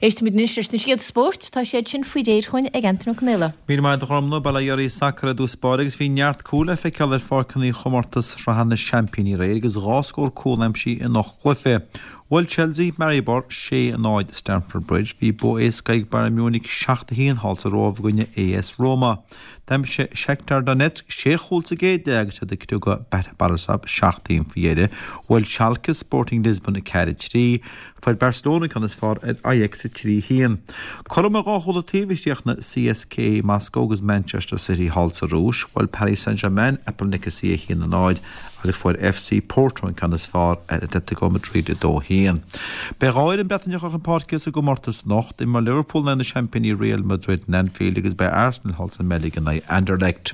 Éistfimid anois leis na scéalta spóirt, tá siad sin faoi réir chugainn ag Antaine Ó Conaola. Míle maith agat a Ghormfhlaith, bail ó Dhia oraibh sacar i dtús báire agus bhí neart cúl le feiceáil ar pháirceanna chomórtas sraithe na seaimpíní aréir agus 2 scór cúl aimsithe in 8 gcluiche. Bhuail Chelsea Maribor 6, 0 i Stamford Bridge. Bhí bua éasca ag Bayern Munich 7, 1 thall sa Róimh i gcoinne AS Roma. D'aimsigh Shakhtar Donetsk sé chúl sa gcéad leath agus iad ag criogadh Bate Borisov 7, 1 faoi dheireadh. Bhuail Schalke Sporting Lisbon 4, 3. Fuair Barcelona an ceann is fearr ar Ajax 3, 1. Cothrom ar dhá chúl an taobh a chríochnaigh CSKA Moscow agus Manchester City thall sa Rúis. Bhuail Paris Saint-Germain Apoel Nicosia 1, 0 agus fuair FC Porto an ceann is fearr ar Atletico Madrid 2, 1. Beidh 2 fhoireann Breataineacha chun páirce sa gcomórtas anocht. Imreoidh Liverpool in aghaidh na seaimpíní Real Madrid in Anfield agus beidh Arsenal thall sa mBeilg in aghaidh Anderlecht.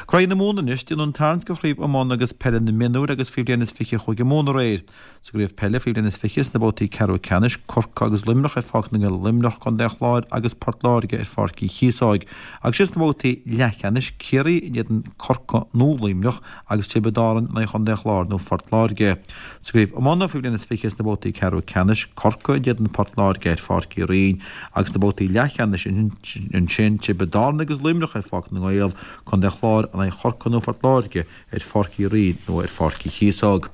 Craobh na Mumhan anois, déanadh an tarraingt do chraobh iomána agus peile na mionúir agus faoi bhliain is 20 Chúige Mumhan aréir. Sa gcraobh peile faoi bhliain is 20 sna babhtaí ceathrú ceannais, Corcaigh agus Luimneach ar Pháirc na nGael i Luimneach, Contae an Chláir agus Port Láirge ar Pháirc Uí Chíosóig. Agus ansin sna babhtaí leathcheannais, Ciarraí in éadan Corcaigh nó Luimneach agus Tiobraid Árann in aghaidh Chontae an Chláir nó Phort Láirge. Sa gcraobh iomána faoi bhliain is 20 sna babhtaí ceathrú ceannais, Corcaigh in éadan Port Láirge ar Pháirc Uí Rinn agus sna babhtaí leathcheannais ansin, Tiobraid Árann agus Luimneach ar Pháirc na nGael, Contae an Chláir in aghaidh Chorcaí nó Phort Láirge. ar Pháirc Uí Rinn nó ar Pháirc Uí Chíosóg.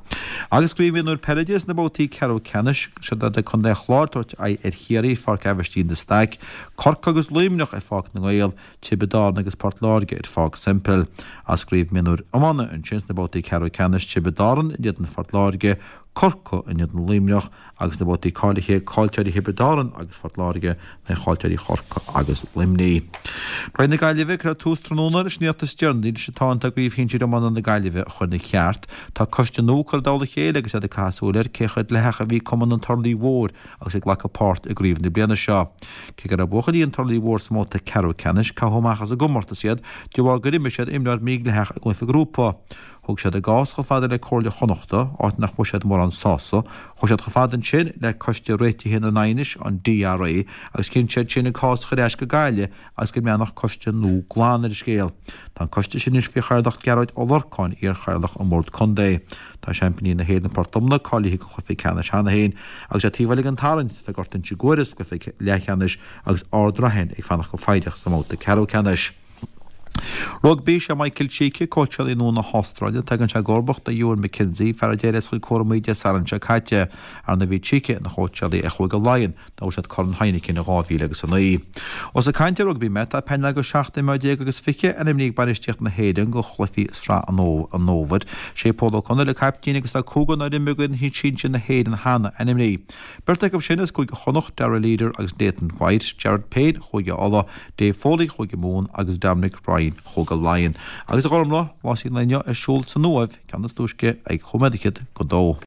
Agus craobh mhionúir peile de sna babhtaí ceathrú ceannais, siod iad Contae an Chláir ag tabhairt aghaidh ar Chiarraí ar Pháirc Aibhistín de Staic, Corcaigh agus Luimneach ar Pháirc na nGael, Tiobraid Árann agus Port Láirge ar Pháirc Semple. As craobh mhionúir iomána ansin sna babhtaí ceathrú ceannais, Tiobraid Árann in éadan Phort Láirge, Corcaigh in éadan Luimneach agus sna babhtaí cáilithe, caillteoirí Thiobraid Árann agus Phort Láirge in aghaidh chaillteoirí Chorcaí agus Luimnigh. Craobh na Gaillimhe, Cuireadh tús tráthnóna leis an iarracht is deireanaí leis an tsáinn atá i gCraobh Shinsir Iomána na Gaillimhe a chur ina cheart. Tá coiste nua curtha i dtoll a chéile agus iad ag caitheamh súil ar cé chomh dleathach a bhí cumann an Turlaigh Mhóir agus ag glacadh páirt i gcraobh na bliana seo. Cé go raibh buachaillí an Turlaigh Mhóir sa mbabhta ceathrú ceannais, caitheadh amach as an gcomórtas iad de bharr gur imir siad imreoir mídhleathach i gcluiche grúpa. Thug siad a gcás chomh fada le Comhairle Chonnachta, áit nach bhfuair siad mórán sásamh. Chuaigh siad chomh fada ansin le Coiste Réitithe na nAighneas, an DRA, agus chinn siad sin an cás a chur ar ais go Gaillimh agus go mbreathnódh coiste nua glan ar an scéal. Tá an coiste sin anois faoi chathaoirleacht Gearóid Ó Lorcáin, iar-chathaoirleach an Bhord Contae. Tá seaimpíní na hÉireann Port Omna cáilithe go chluiche ceannais cheana féin agus ar taobh eile den tarraingt tá Gort Inse Guaire sa gcluiche leathcheannais agus Ard Raithin ag fanacht go foighdeach sa mbabhta ceathrú ceannais. Rugbaí, Sé Michael Cheika cóitseálaí nua na hAstráile. Tagann sé i gcomharbacht ar Ewen McKenzie, fear a d'éirigh as a chuid cúramaí Dé Sathairn seo caite. Ar ndóigh bhí Cheika ina chóitseálaí ar Chúige Laighean nuair a bhuaigh siad Corn Heineken in 2009. Ós ag caint ar rugbaí mé, tá painéal de 17 imreoir agus 20 ainmnithe ag bainistíocht na hÉireann do chluichí Sraith an Fhómhair. Sé Pól Ó Conghaile caiptín agus tá cúigear nár imir d'fhoireann sinsir na hÉireann cheana ainmnithe. Beirt acu sin as Cúige Chonnacht, Darragh Leader agus Nathan White, Jared Payne, Chúige Uladh, Dave Foley, Chúige Mumhan, agus Dominic Ryan, Chúige Laighean. Agus a Ghormfhlaith, rásaí an lae inniu ar siúl san Uaimh, ceann is túisce ag chúig nóiméad fhichead go dó.